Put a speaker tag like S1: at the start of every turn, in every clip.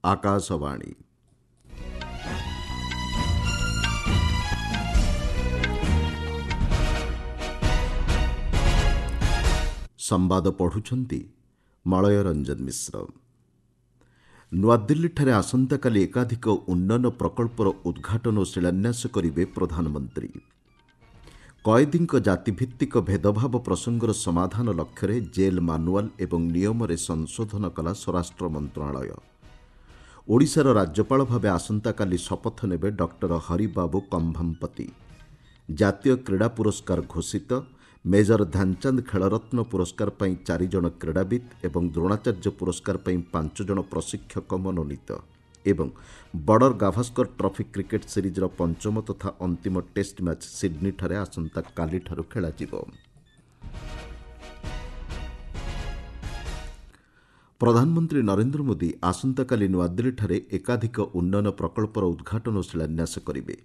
S1: ଆକାଶବାଣୀ। ସମ୍ବାଦ ପଢ଼ୁଛନ୍ତି ମଳୟ ରଞ୍ଜନ ମିଶ୍ର। ନୂଆଦିଲ୍ଲୀଠାରେ ଆସନ୍ତାକାଲି ଏକାଧିକ ଉନ୍ନୟନ ପ୍ରକଳ୍ପର ଉଦ୍ଘାଟନ ଓ ଶିଳାନ୍ୟାସ କରିବେ ପ୍ରଧାନମନ୍ତ୍ରୀ। କଏଦୀଙ୍କ ଜାତିଭିତ୍ତିକ ଭେଦଭାବ ପ୍ରସଙ୍ଗର ସମାଧାନ ଲକ୍ଷ୍ୟରେ ଜେଲ୍ ମାନୁଆଲ୍ ଏବଂ ନିୟମରେ ସଂଶୋଧନ କଲା ସ୍ୱରାଷ୍ଟ୍ର ମନ୍ତ୍ରଣାଳୟ। ଓଡ଼ିଶାର ରାଜ୍ୟପାଳ ଭାବେ ଆସନ୍ତାକାଲି ଶପଥ ନେବେ ଡକ୍ଟର ହରିବାବୁ କମ୍ଭମପତି। ଜାତୀୟ କ୍ରୀଡ଼ା ପୁରସ୍କାର ଘୋଷିତ। ମେଜର ଧ୍ୟାନଚାନ୍ଦ ଖେଳରତ୍ନ ପୁରସ୍କାର ପାଇଁ 4 ଜଣ କ୍ରୀଡ଼ାବିତ୍ ଏବଂ ଦ୍ରୋଣାଚାର୍ଯ୍ୟ ପୁରସ୍କାର ପାଇଁ 5 ଜଣ ପ୍ରଶିକ୍ଷକ ମନୋନୀତ। ଏବଂ ବର୍ଡର ଗାଭାସ୍କର ଟ୍ରଫି କ୍ରିକେଟ୍ ସିରିଜ୍ର ପଞ୍ଚମ ତଥା ଅନ୍ତିମ ଟେଷ୍ଟ ମ୍ୟାଚ୍ ସିଡ୍ନୀଠାରେ ଆସନ୍ତାକାଲିଠାରୁ ଖେଳାଯିବ। ପ୍ରଧାନମନ୍ତ୍ରୀ ନରେନ୍ଦ୍ର ମୋଦି ଆସନ୍ତାକାଲି ନୂଆଦିଲ୍ଲୀଠାରେ ଏକାଧିକ ଉନ୍ନୟନ ପ୍ରକଳ୍ପର ଉଦ୍ଘାଟନ ଓ ଶିଳାନ୍ୟାସ କରିବେ।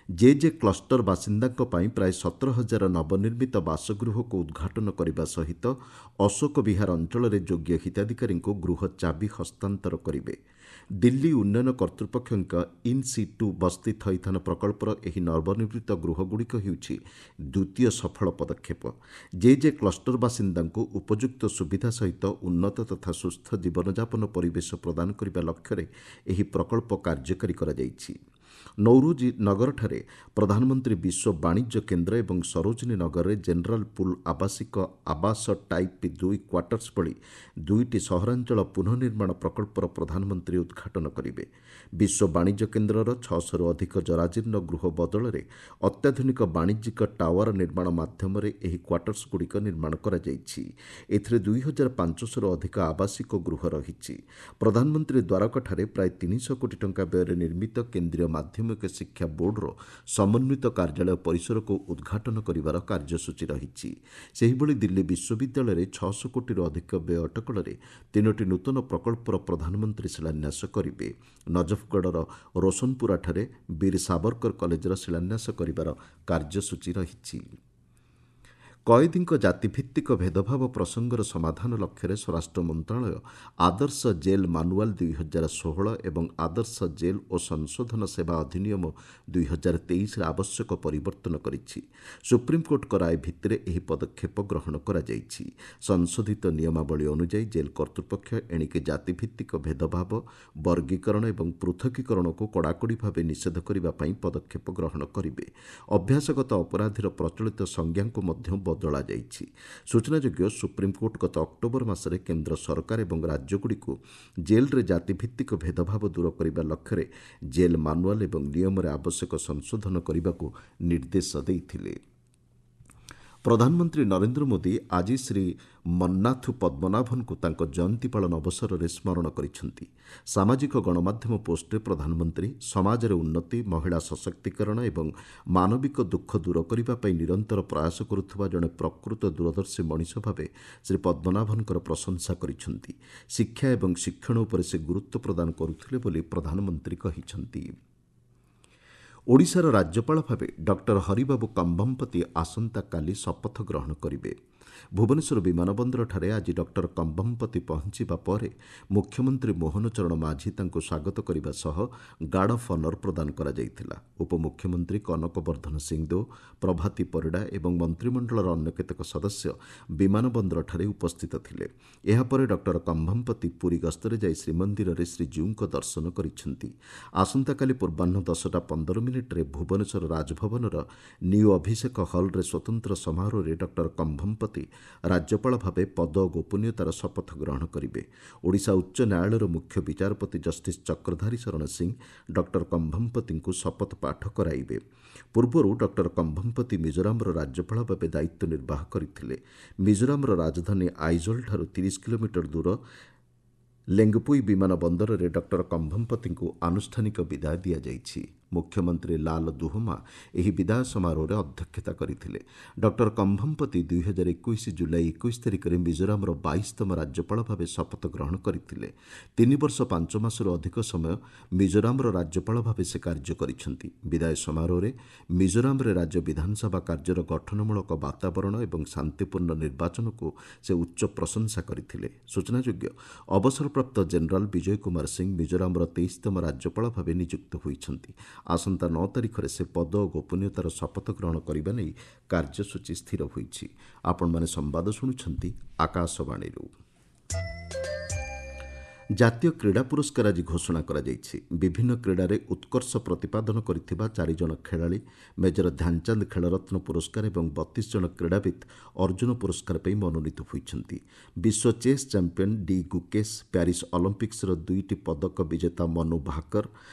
S1: ଜେ ଜେ କ୍ଲଷ୍ଟର ବାସିନ୍ଦାଙ୍କ ପାଇଁ ପ୍ରାୟ 17,000 ନବନିର୍ମିତ ବାସଗୃହକୁ ଉଦ୍ଘାଟନ କରିବା ସହିତ ଅଶୋକ ବିହାର ଅଞ୍ଚଳରେ ଯୋଗ୍ୟ ହିତାଧିକାରୀଙ୍କୁ ଗୃହ ଚାବି ହସ୍ତାନ୍ତର କରିବେ। ଦିଲ୍ଲୀ ଉନ୍ନୟନ କର୍ତ୍ତୃପକ୍ଷଙ୍କ ଇନ୍ ସିଟୁ ବସ୍ତି ଥଇଥାନ ପ୍ରକଳ୍ପର ଏହି ନବନିର୍ମିତ ଗୃହଗୁଡ଼ିକ ହେଉଛି ଦ୍ୱିତୀୟ ସଫଳ ପଦକ୍ଷେପ। ଜେ ଜେ କ୍ଲଷ୍ଟର ବାସିନ୍ଦାଙ୍କୁ ଉପଯୁକ୍ତ ସୁବିଧା ସହିତ ଉନ୍ନତ ତଥା ସୁସ୍ଥ ଜୀବନଯାପନ ପରିବେଶ ପ୍ରଦାନ କରିବା ଲକ୍ଷ୍ୟରେ ଏହି ପ୍ରକଳ୍ପ କାର୍ଯ୍ୟକାରୀ କରାଯାଇଛି। ନୌରୋଜି ନଗରଠାରେ ପ୍ରଧାନମନ୍ତ୍ରୀ ବିଶ୍ୱ ବାଣିଜ୍ୟ କେନ୍ଦ୍ର ଏବଂ ସରୋଜିନୀ ନଗରରେ ଜେନେରାଲ ପୁଲ୍ ଆବାସିକ ଆବାସ ଟାଇପ୍ 2 କ୍ୱାର୍ଟର୍ସ ଭଳି 2ଟି ସହରାଞ୍ଚଳ ପୁନଃନିର୍ମାଣ ପ୍ରକଳ୍ପର ପ୍ରଧାନମନ୍ତ୍ରୀ ଉଦ୍ଘାଟନ କରିବେ। ବିଶ୍ୱ ବାଣିଜ୍ୟ କେନ୍ଦ୍ରର 600ରୁ ଅଧିକ ଜରାଜୀର୍ଣ୍ଣ ଗୃହ ବଦଳରେ ଅତ୍ୟାଧୁନିକ ବାଣିଜ୍ୟିକ ଟାୱାର ନିର୍ମାଣ ମାଧ୍ୟମରେ ଏହି କ୍ୱାର୍ଟର୍ସଗୁଡ଼ିକ ନିର୍ମାଣ କରାଯାଇଛି। ଏଥିରେ 2500ରୁ ଅଧିକ ଆବାସିକ ଗୃହ ରହିଛି। ପ୍ରଧାନମନ୍ତ୍ରୀ ଦ୍ୱାରକାଠାରେ ପ୍ରାୟ 300 କୋଟି ଟଙ୍କା ବ୍ୟୟରେ ନିର୍ମିତ କେନ୍ଦ୍ରୀୟ ମାଧ୍ୟମିକ ଶିକ୍ଷା ବୋର୍ଡର ସମନ୍ୱିତ କାର୍ଯ୍ୟାଳୟ ପରିସରକୁ ଉଦ୍ଘାଟନ କରିବାର କାର୍ଯ୍ୟସୂଚୀ ରହିଛି। ସେହିଭଳି ଦିଲ୍ଲୀ ବିଶ୍ୱବିଦ୍ୟାଳୟରେ 600 କୋଟିରୁ ଅଧିକ ବ୍ୟୟ ଅଟକଳରେ 3ଟି ନୂତନ ପ୍ରକଳ୍ପର ପ୍ରଧାନମନ୍ତ୍ରୀ ଶିଳାନ୍ୟାସ କରିବେ। ନଜଫଗଡ଼ର ରୋଶନପୁରାଠାରେ ବୀର ସାବରକର କଲେଜର ଶିଳାନ୍ୟାସ କରିବାର କାର୍ଯ୍ୟସୂଚୀ ରହିଛି। କଏଦୀଙ୍କ ଜାତିଭିତ୍ତିକ ଭେଦଭାବ ପ୍ରସଙ୍ଗର ସମାଧାନ ଲକ୍ଷ୍ୟରେ ସ୍ୱରାଷ୍ଟ୍ର ମନ୍ତ୍ରଣାଳୟ ଆଦର୍ଶ ଜେଲ୍ ମାନୁଆଲ୍ 2016 ଏବଂ ଆଦର୍ଶ ଜେଲ୍ ଓ ସଂଶୋଧନ ସେବା ଅଧିନିୟମ 2023ରେ ଆବଶ୍ୟକ ପରିବର୍ତ୍ତନ କରିଛି। ସୁପ୍ରିମକୋର୍ଟଙ୍କ ରାୟ ଭିତ୍ତିରେ ଏହି ପଦକ୍ଷେପ ଗ୍ରହଣ କରାଯାଇଛି। ସଂଶୋଧିତ ନିୟମାବଳୀ ଅନୁଯାୟୀ ଜେଲ୍ କର୍ତ୍ତୃପକ୍ଷ ଏଣିକି ଜାତିଭିତ୍ତିକ ଭେଦଭାବ, ବର୍ଗୀକରଣ ଏବଂ ପୃଥକୀକରଣକୁ କଡ଼ାକଡ଼ି ଭାବେ ନିଷେଧ କରିବା ପାଇଁ ପଦକ୍ଷେପ ଗ୍ରହଣ କରିବେ। ଅଭ୍ୟାସଗତ ଅପରାଧୀର ପ୍ରଚଳିତ ସଂଜ୍ଞାକୁ ମଧ୍ୟ ବଦଳାଯାଇଛି। ସୂଚନାଯୋଗ୍ୟ, ସୁପ୍ରିମକୋର୍ଟ ଗତ ଅକ୍ଟୋବର ମାସରେ କେନ୍ଦ୍ର ସରକାର ଏବଂ ରାଜ୍ୟଗୁଡ଼ିକୁ ଜେଲ୍ରେ ଜାତିଭିତ୍ତିକ ଭେଦଭାବ ଦୂର କରିବା ଲକ୍ଷ୍ୟରେ ଜେଲ୍ ମାନୁଆଲ୍ ଏବଂ ନିୟମରେ ଆବଶ୍ୟକ ସଂଶୋଧନ କରିବାକୁ ନିର୍ଦ୍ଦେଶ ଦେଇଥିଲେ। ପ୍ରଧାନମନ୍ତ୍ରୀ ନରେନ୍ଦ୍ର ମୋଦି ଆଜି ଶ୍ରୀ ମନ୍ନାଥୁ ପଦ୍ମନାଭନଙ୍କୁ ତାଙ୍କ ଜୟନ୍ତୀ ପାଳନ ଅବସରରେ ସ୍ମରଣ କରିଛନ୍ତି। ସାମାଜିକ ଗଣମାଧ୍ୟମ ପୋଷ୍ଟରେ ପ୍ରଧାନମନ୍ତ୍ରୀ ସମାଜରେ ଉନ୍ନତି, ମହିଳା ସଶକ୍ତିକରଣ ଏବଂ ମାନବିକ ଦୁଃଖ ଦୂର କରିବା ପାଇଁ ନିରନ୍ତର ପ୍ରୟାସ କରୁଥିବା ଜଣେ ପ୍ରକୃତ ଦୂରଦର୍ଶୀ ମଣିଷ ଭାବେ ଶ୍ରୀ ପଦ୍ମନାଭନଙ୍କର ପ୍ରଶଂସା କରିଛନ୍ତି। ଶିକ୍ଷା ଏବଂ ଶିକ୍ଷଣ ଉପରେ ସେ ଗୁରୁତ୍ୱ ପ୍ରଦାନ କରୁଥିଲେ ବୋଲି ପ୍ରଧାନମନ୍ତ୍ରୀ କହିଛନ୍ତି। ଓଡ଼ିଶାର ରାଜ୍ୟପାଳ ଭାବେ ଡକ୍ଟର ହରିବାବୁ କମ୍ଭମପତି ଆସନ୍ତାକାଲି ଶପଥ ଗ୍ରହଣ କରିବେ। ଭୁବନେଶ୍ୱର ବିମାନ ବନ୍ଦରଠାରେ ଆଜି ଡକ୍ଟର କମ୍ଭମପତି ପହଞ୍ଚିବା ପରେ ମୁଖ୍ୟମନ୍ତ୍ରୀ ମୋହନ ଚରଣ ମାଝୀ ତାଙ୍କୁ ସ୍ୱାଗତ କରିବା ସହ ଗାର୍ଡ ଅଫ୍ ଅନର୍ ପ୍ରଦାନ କରାଯାଇଥିଲା। ଉପମୁଖ୍ୟମନ୍ତ୍ରୀ କନକ ବର୍ଦ୍ଧନ ସିଂଦେଓ, ପ୍ରଭାତୀ ପରିଡ଼ା ଏବଂ ମନ୍ତ୍ରିମଣ୍ଡଳର ଅନ୍ୟ କେତେକ ସଦସ୍ୟ ବିମାନ ବନ୍ଦରଠାରେ ଉପସ୍ଥିତ ଥିଲେ। ଏହାପରେ ଡକ୍ଟର କମ୍ଭମପତି ପୁରୀ ଗସ୍ତରେ ଯାଇ ଶ୍ରୀମନ୍ଦିରରେ ଶ୍ରୀଜୀଉଙ୍କ ଦର୍ଶନ କରିଛନ୍ତି। ଆସନ୍ତାକାଲି ପୂର୍ବାହ୍ନ 10ଟା 15 ମିନିଟ୍ରେ ଭୁବନେଶ୍ୱର ରାଜଭବନର ନ୍ୟୁ ଅଭିଷେକ ହଲ୍ରେ ସ୍ୱତନ୍ତ୍ର ସମାରୋହରେ ଡକ୍ଟର କମ୍ଭମପତି ରାଜ୍ୟପାଳ ଭାବେ ପଦ ଓ ଗୋପନୀୟତାର ଶପଥ ଗ୍ରହଣ କରିବେ। ଓଡ଼ିଶା ଉଚ୍ଚ ନ୍ୟାୟାଳୟର ମୁଖ୍ୟ ବିଚାରପତି ଜଷ୍ଟିସ୍ ଚକ୍ରଧାରୀ ଶରଣ ସିଂ ଡକ୍ଟର କମ୍ଭମପତିଙ୍କୁ ଶପଥ ପାଠ କରାଇବେ। ପୂର୍ବରୁ ଡକ୍ଟର କମ୍ଭମପତି ମିଜୋରାମର ରାଜ୍ୟପାଳ ଭାବେ ଦାୟିତ୍ୱ ନିର୍ବାହ କରିଥିଲେ। ମିଜୋରାମର ରାଜଧାନୀ ଆଇଜଲଠାରୁ 30 କିଲୋମିଟର ଦୂର ଲେଙ୍ଗପୁଇ ବିମାନ ବନ୍ଦରରେ ଡକ୍ଟର କମ୍ଭମପତିଙ୍କୁ ଆନୁଷ୍ଠାନିକ ବିଦାୟ ଦିଆଯାଇଛି। ମୁଖ୍ୟମନ୍ତ୍ରୀ ଲାଲ ଦୁହୋମା ଏହି ବିଦାୟ ସମାରୋହରେ ଅଧ୍ୟକ୍ଷତା କରିଥିଲେ। ଡକ୍ଟର କମ୍ଭମପତି 2021 ଜୁଲାଇ 21 ତାରିଖରେ ମିଜୋରାମର 22ତମ ରାଜ୍ୟପାଳ ଭାବେ ଶପଥ ଗ୍ରହଣ କରିଥିଲେ। 3 ବର୍ଷ 5 ମାସରୁ ଅଧିକ ସମୟ ମିଜୋରାମର ରାଜ୍ୟପାଳ ଭାବେ ସେ କାର୍ଯ୍ୟ କରିଛନ୍ତି। ବିଦାୟ ସମାରୋହରେ ମିଜୋରାମରେ ରାଜ୍ୟ ବିଧାନସଭା କାର୍ଯ୍ୟର ଗଠନମୂଳକ ବାତାବରଣ ଏବଂ ଶାନ୍ତିପୂର୍ଣ୍ଣ ନିର୍ବାଚନକୁ ସେ ଉଚ୍ଚ ପ୍ରଶଂସା କରିଥିଲେ। ସୂଚନାଯୋଗ୍ୟ, ଅବସରପ୍ରାପ୍ତ ଜେନେରାଲ ବିଜୟ କୁମାର ସିଂ ମିଜୋରାମର 23ତମ ରାଜ୍ୟପାଳ ଭାବେ ନିଯୁକ୍ତ ହୋଇଛନ୍ତି। ଆସନ୍ତା 9 ତାରିଖରେ ସେ ପଦ ଓ ଗୋପନୀୟତାର ଶପଥ ଗ୍ରହଣ କରିବା ନେଇ କାର୍ଯ୍ୟସୂଚୀ ସ୍ଥିର ହୋଇଛି। ଆପଣମାନେ ସମ୍ବାଦ ଶୁଣୁଛନ୍ତି ଆକାଶବାଣୀରୁ। ଜାତୀୟ କ୍ରୀଡ଼ା ପୁରସ୍କାର ଆଜି ଘୋଷଣା କରାଯାଇଛି। ବିଭିନ୍ନ କ୍ରୀଡ଼ାରେ ଉତ୍କର୍ଷ ପ୍ରତିପାଦନ କରିଥିବା 4 ଜଣ ଖେଳାଳି ମେଜର ଧ୍ୟାନଚାନ୍ଦ ଖେଳରତ୍ନ ପୁରସ୍କାର ଏବଂ 32 ଜଣ କ୍ରୀଡ଼ାବିତ୍ ଅର୍ଜୁନ ପୁରସ୍କାର ପାଇଁ ମନୋନୀତ ହୋଇଛନ୍ତି। ବିଶ୍ୱ chess champion D Gukesh, Paris ଅଲିମ୍ପିକ୍ସର 2ଟି ପଦକ ବିଜେତା ମନୁ ଭାକର,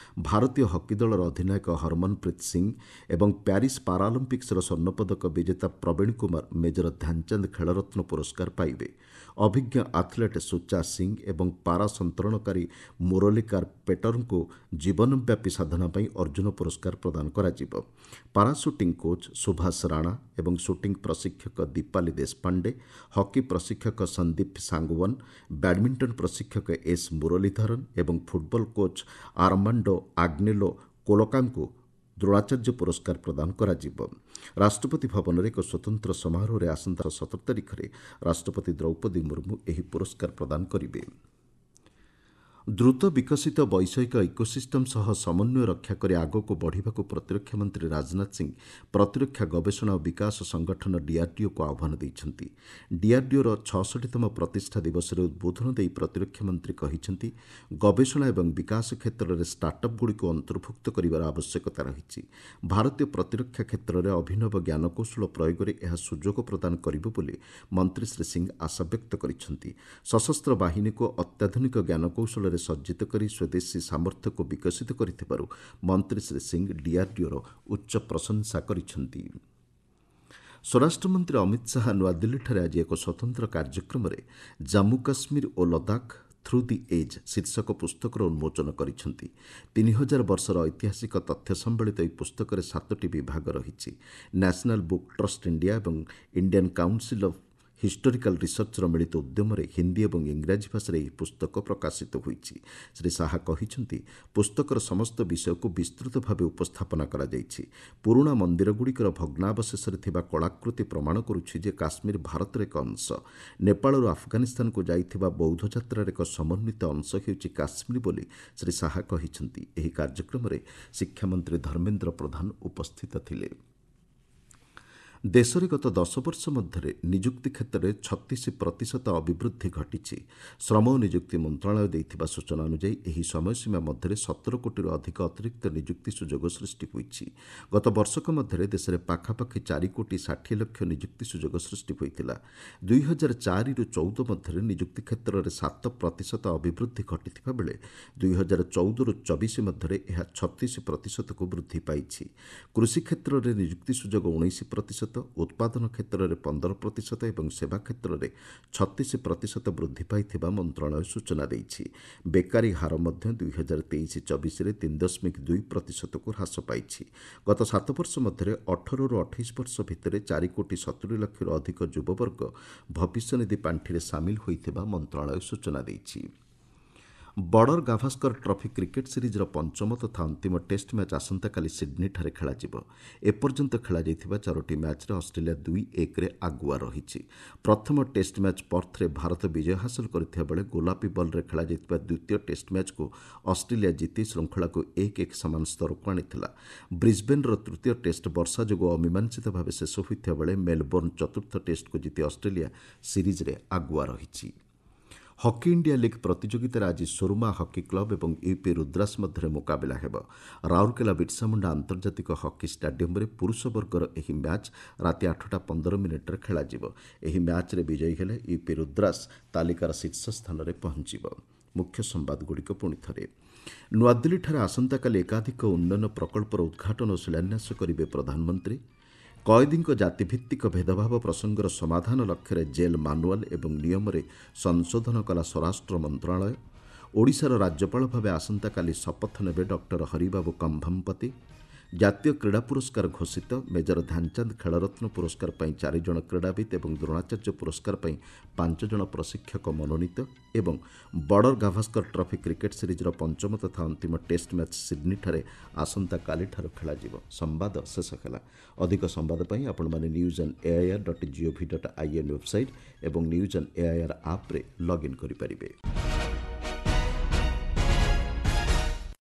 S1: ଭାରତୀୟ ହକି ଦଳର ଅଧିନାୟକ ହରମନପ୍ରୀତ ସିଂ ଏବଂ ପ୍ୟାରିସ୍ ପାରାଅଲିମ୍ପିକ୍ସର ସ୍ୱର୍ଣ୍ଣପଦକ ବିଜେତା ପ୍ରବୀଣ କୁମାର ମେଜର ଧ୍ୟାନଚାନ୍ଦ ଖେଳରତ୍ନ ପୁରସ୍କାର ପାଇବେ। ଅଭିଜ୍ଞ ଆଥଲେଟ୍ ସୁଚା ସିଂ ଏବଂ ପାରା ସନ୍ତରଣକାରୀ ମୁରଲୀକାର ପେଟରଙ୍କୁ ଜୀବନବ୍ୟାପୀ ସାଧନା ପାଇଁ ଅର୍ଜୁନ ପୁରସ୍କାର ପ୍ରଦାନ କରାଯିବ। ପାରା ସୁଟିଂ କୋଚ୍ ସୁଭାଷ ରାଣା ଏବଂ ସୁଟିଂ ପ୍ରଶିକ୍ଷକ ଦୀପାଲି ଦେଶପାଣ୍ଡେ, ହକି ପ୍ରଶିକ୍ଷକ ସନ୍ଦୀପ ସାଙ୍ଗୱାନ, ବ୍ୟାଡମିଣ୍ଟନ ପ୍ରଶିକ୍ଷକ ଏସ୍ ମୁରଲୀଧରନ୍ ଏବଂ ଫୁଟବଲ କୋଚ୍ ଆର୍ମାଣ୍ଡୋ ଆଗ୍ନେଲୋ କୋଲୋକାଙ୍କୁ ଦ୍ରୋଣାଚାର୍ଯ୍ୟ ପୁରସ୍କାର ପ୍ରଦାନ କରାଯିବ। ରାଷ୍ଟ୍ରପତି ଭବନରେ ଏକ ସ୍ୱତନ୍ତ୍ର ସମାରୋହରେ ଆସନ୍ତା 17 ତାରିଖରେ ରାଷ୍ଟ୍ରପତି ଦ୍ରୌପଦୀ ମୁର୍ମୁ ଏହି ପୁରସ୍କାର ପ୍ରଦାନ କରିବେ। ଦ୍ରୁତ ବିକଶିତ ବୈଷୟିକ ଇକୋସିଷ୍ଟମ୍ ସହ ସମନ୍ୱୟ ରକ୍ଷା କରି ଆଗକୁ ବଢ଼ିବାକୁ ପ୍ରତିରକ୍ଷା ମନ୍ତ୍ରୀ ରାଜନାଥ ସିଂ ପ୍ରତିରକ୍ଷା ଗବେଷଣା ଓ ବିକାଶ ସଂଗଠନ ଡିଆର୍ଡିଓକୁ ଆହ୍ୱାନ ଦେଇଛନ୍ତି। ଡିଆର୍ଡିଓର 66ତମ ପ୍ରତିଷ୍ଠା ଦିବସରେ ଉଦ୍ବୋଧନ ଦେଇ ପ୍ରତିରକ୍ଷା ମନ୍ତ୍ରୀ କହିଛନ୍ତି, ଗବେଷଣା ଏବଂ ବିକାଶ କ୍ଷେତ୍ରରେ ଷ୍ଟାର୍ଟଅପ୍ଗୁଡ଼ିକୁ ଅନ୍ତର୍ଭୁକ୍ତ କରିବାର ଆବଶ୍ୟକତା ରହିଛି। ଭାରତୀୟ ପ୍ରତିରକ୍ଷା କ୍ଷେତ୍ରରେ ଅଭିନବ ଜ୍ଞାନକୌଶଳ ପ୍ରୟୋଗରେ ଏହା ସୁଯୋଗ ପ୍ରଦାନ କରିବ ବୋଲି ମନ୍ତ୍ରୀ ଶ୍ରୀ ସିଂ ଆଶାବ୍ୟକ୍ତ କରିଛନ୍ତି। ସଶସ୍ତ୍ର ବାହିନୀକୁ ଅତ୍ୟାଧୁନିକ ଜ୍ଞାନକୌଶଳରେ ସଜ୍ଜିତ କରି ସ୍ୱଦେଶୀ ସାମର୍ଥ୍ୟକୁ ବିକଶିତ କରିଥିବାରୁ ମନ୍ତ୍ରୀ ଶ୍ରୀ ସିଂ ଡିଆର୍ଡିଓର ଉଚ୍ଚ ପ୍ରଶଂସା କରିଛନ୍ତି। ସ୍ୱରାଷ୍ଟ୍ରମନ୍ତ୍ରୀ ଅମିତ ଶାହା ନୂଆଦିଲ୍ଲୀଠାରେ ଆଜି ଏକ ସ୍ୱତନ୍ତ୍ର କାର୍ଯ୍ୟକ୍ରମରେ ଜାମ୍ମୁ କାଶ୍ମୀର ଓ ଲଦାଖ ଥ୍ରୁ the age ଶୀର୍ଷକ ପୁସ୍ତକର ଉନ୍ମୋଚନ କରିଛନ୍ତି। 3000 ବର୍ଷର ଐତିହାସିକ ତଥ୍ୟ ସମ୍ବଳିତ ଏହି ପୁସ୍ତକରେ 7ଟି ବିଭାଗ ରହିଛି। ନ୍ୟାସନାଲ୍ ବୁକ୍ ଟ୍ରଷ୍ଟ ଇଣ୍ଡିଆ ଏବଂ ଇଣ୍ଡିଆନ୍ କାଉନସିଲ୍ ଅଫ୍ ହିଷ୍ଟୋରିକାଲ ରିସର୍ଚ୍ଚର ମିଳିତ ଉଦ୍ୟମରେ ହିନ୍ଦୀ ଏବଂ ଇଂରାଜୀ ଭାଷାରେ ଏହି ପୁସ୍ତକ ପ୍ରକାଶିତ ହୋଇଛି। ଶ୍ରୀ ଶାହା କହିଛନ୍ତି, ପୁସ୍ତକର ସମସ୍ତ ବିଷୟକୁ ବିସ୍ତୃତ ଭାବେ ଉପସ୍ଥାପନା କରାଯାଇଛି। ପୁରୁଣା ମନ୍ଦିରଗୁଡ଼ିକର ଭଗ୍ନାବଶେଷରେ ଥିବା କଳାକୃତି ପ୍ରମାଣ କରୁଛି ଯେ କାଶ୍ମୀର ଭାରତର ଏକ ଅଂଶ। ନେପାଳରୁ ଆଫଗାନିସ୍ତାନକୁ ଯାଇଥିବା ବୌଦ୍ଧ ଯାତ୍ରାର ଏକ ସମନ୍ୱିତ ଅଂଶ ହେଉଛି କାଶ୍ମୀର ବୋଲି ଶ୍ରୀ ଶାହା କହିଛନ୍ତି। ଏହି କାର୍ଯ୍ୟକ୍ରମରେ ଶିକ୍ଷାମନ୍ତ୍ରୀ ଧର୍ମେନ୍ଦ୍ର ପ୍ରଧାନ ଉପସ୍ଥିତ ଥିଲେ। ଦେଶରେ ଗତ 10 ବର୍ଷ ମଧ୍ୟରେ ନିଯୁକ୍ତି କ୍ଷେତ୍ରରେ 36% ଅଭିବୃଦ୍ଧି ଘଟିଛି। ଶ୍ରମ ଓ ନିଯୁକ୍ତି ମନ୍ତ୍ରଣାଳୟ ଦେଇଥିବା ସୂଚନା ଅନୁଯାୟୀ ଏହି ସମୟସୀମା ମଧ୍ୟରେ 17 କୋଟିରୁ ଅଧିକ ଅତିରିକ୍ତ ନିଯୁକ୍ତି ସୁଯୋଗ ସୃଷ୍ଟି ହୋଇଛି। ଗତ ବର୍ଷକ ମଧ୍ୟରେ ଦେଶରେ ପାଖାପାଖି 4 କୋଟି 60 ଲକ୍ଷ ନିଯୁକ୍ତି ସୁଯୋଗ ସୃଷ୍ଟି ହୋଇଥିଲା। 2004ରୁ 14 ମଧ୍ୟରେ ନିଯୁକ୍ତି କ୍ଷେତ୍ରରେ 7% ଅଭିବୃଦ୍ଧି ଘଟିଥିବା ବେଳେ 2014ରୁ 24 ମଧ୍ୟରେ ଏହା 36%କୁ ବୃଦ୍ଧି ପାଇଛି। କୃଷି କ୍ଷେତ୍ରରେ ନିଯୁକ୍ତି ସୁଯୋଗ 19%, ଉତ୍ପାଦନ କ୍ଷେତ୍ରରେ 15% ଏବଂ ସେବା କ୍ଷେତ୍ରରେ 36% ବୃଦ୍ଧି ପାଇଥିବା ମନ୍ତ୍ରଣାଳୟ ସୂଚନା ଦେଇଛି। ବେକାରୀ ହାର ମଧ୍ୟ 2023-24ରେ 3.2%କୁ ହ୍ରାସ ପାଇଛି। ଗତ 7 ବର୍ଷ ମଧ୍ୟରେ 18ରୁ 28 ବର୍ଷ ଭିତରେ 4 କୋଟି 70 ଲକ୍ଷରୁ ଅଧିକ ଯୁବବର୍ଗ ଭବିଷ୍ୟନିଧି ପାଣ୍ଠିରେ ସାମିଲ ହୋଇଥିବା ମନ୍ତ୍ରଣାଳୟ ସୂଚନା ଦେଇଛି। ବର୍ଡର ଗାଭାସ୍କର ଟ୍ରଫି କ୍ରିକେଟ୍ ସିରିଜ୍ର ପଞ୍ଚମ ତଥା ଅନ୍ତିମ ଟେଷ୍ଟ ମ୍ୟାଚ୍ ଆସନ୍ତାକାଲି ସିଡ୍ନୀଠାରେ ଖେଳାଯିବ। ଏପର୍ଯ୍ୟନ୍ତ ଖେଳାଯାଇଥିବା 4ଟି ମ୍ୟାଚ୍ରେ ଅଷ୍ଟ୍ରେଲିଆ 2-1ରେ ଆଗୁଆ ରହିଛି। ପ୍ରଥମ ଟେଷ୍ଟ ମ୍ୟାଚ୍ ପର୍ଥରେ ଭାରତ ବିଜୟ ହାସଲ କରିଥିବା ବେଳେ ଗୋଲାପୀ ବଲ୍ରେ ଖେଳାଯାଇଥିବା ଦ୍ୱିତୀୟ ଟେଷ୍ଟ ମ୍ୟାଚ୍କୁ ଅଷ୍ଟ୍ରେଲିଆ ଜିତି ଶୃଙ୍ଖଳାକୁ 1-1 ସମାନ ସ୍ତରକୁ ଆଣିଥିଲା। ବ୍ରିସ୍ବେନ୍ର ତୃତୀୟ ଟେଷ୍ଟ ବର୍ଷା ଯୋଗୁଁ ଅମୀମାଂସିତ ଭାବେ ଶେଷ ହୋଇଥିବା ବେଳେ ମେଲବୋର୍ଣ୍ଣ ଚତୁର୍ଥ ଟେଷ୍ଟକୁ ଜିତି ଅଷ୍ଟ୍ରେଲିଆ ସିରିଜ୍ରେ ଆଗୁଆ ରହିଛି। ହକି ଇଣ୍ଡିଆ ଲିଗ୍ ପ୍ରତିଯୋଗିତାରେ ଆଜି ସୁରମା ହକି କ୍ଲବ ଏବଂ ୟୁପି ରୁଦ୍ରାସ ମଧ୍ୟରେ ମୁକାବିଲା ହେବ। ରାଉରକେଲା ବିର୍ସାମୁଣ୍ଡା ଆନ୍ତର୍ଜାତିକ ହକି ଷ୍ଟାଡିୟମରେ ପୁରୁଷ ବର୍ଗର ଏହି ମ୍ୟାଚ୍ ରାତି 8:15 ଖେଳାଯିବ। ଏହି ମ୍ୟାଚ୍ରେ ବିଜୟୀ ହେଲେ ୟୁପି ରୁଦ୍ରାସ ତାଲିକାର ଶୀର୍ଷ ସ୍ଥାନରେ ପହଞ୍ଚିବ। ମୁଖ୍ୟ ସମ୍ବାଦଗୁଡ଼ିକ ପୁଣି ଥରେ। ନୂଆଦିଲ୍ଲୀଠାରେ ଆସନ୍ତାକାଲି ଏକାଧିକ ଉନ୍ନୟନ ପ୍ରକଳ୍ପର ଉଦ୍ଘାଟନ ଓ ଶିଳାନ୍ୟାସ କରିବେ ପ୍ରଧାନମନ୍ତ୍ରୀ। କଏଦୀଙ୍କ ଜାତିଭିତ୍ତିକ ଭେଦଭାବ ପ୍ରସଙ୍ଗର ସମାଧାନ ଲକ୍ଷ୍ୟରେ ଜେଲ୍ ମାନୁଆଲ୍ ଏବଂ ନିୟମରେ ସଂଶୋଧନ କଲା ସ୍ୱରାଷ୍ଟ୍ର ମନ୍ତ୍ରଣାଳୟ। ଓଡ଼ିଶାର ରାଜ୍ୟପାଳ ଭାବେ ଆସନ୍ତାକାଲି ଶପଥ ନେବେ ଡକ୍ଟର ହରିବାବୁ କମ୍ଭମପତି। ଜାତୀୟ କ୍ରୀଡ଼ା ପୁରସ୍କାର ଘୋଷିତ। ମେଜର ଧ୍ୟାନଚାନ୍ଦ ଖେଳରତ୍ନ ପୁରସ୍କାର ପାଇଁ 4 ଜଣ କ୍ରୀଡ଼ାବିତ୍ ଏବଂ ଦ୍ରୋଣାଚାର୍ଯ୍ୟ ପୁରସ୍କାର ପାଇଁ 5 ଜଣ ପ୍ରଶିକ୍ଷକ ମନୋନୀତ। ଏବଂ ବର୍ଡର ଗାଭାସ୍କର ଟ୍ରଫି କ୍ରିକେଟ୍ ସିରିଜ୍ର ପଞ୍ଚମ ତଥା ଅନ୍ତିମ ଟେଷ୍ଟ ମ୍ୟାଚ୍ ସିଡ୍ନୀଠାରେ ଆସନ୍ତାକାଲିଠାରୁ ଖେଳାଯିବ। ସମ୍ବାଦ ଶେଷ ହେଲା। ଅଧିକ ସମ୍ବାଦ ପାଇଁ ଆପଣମାନେ news on AIR dot GOV dot IN website ଏବଂ ନ୍ୟୁଜ୍ ଅନ୍ ଏଆଇଆର୍ ଆପ୍ରେ ଲଗ୍ଇନ୍ କରିପାରିବେ।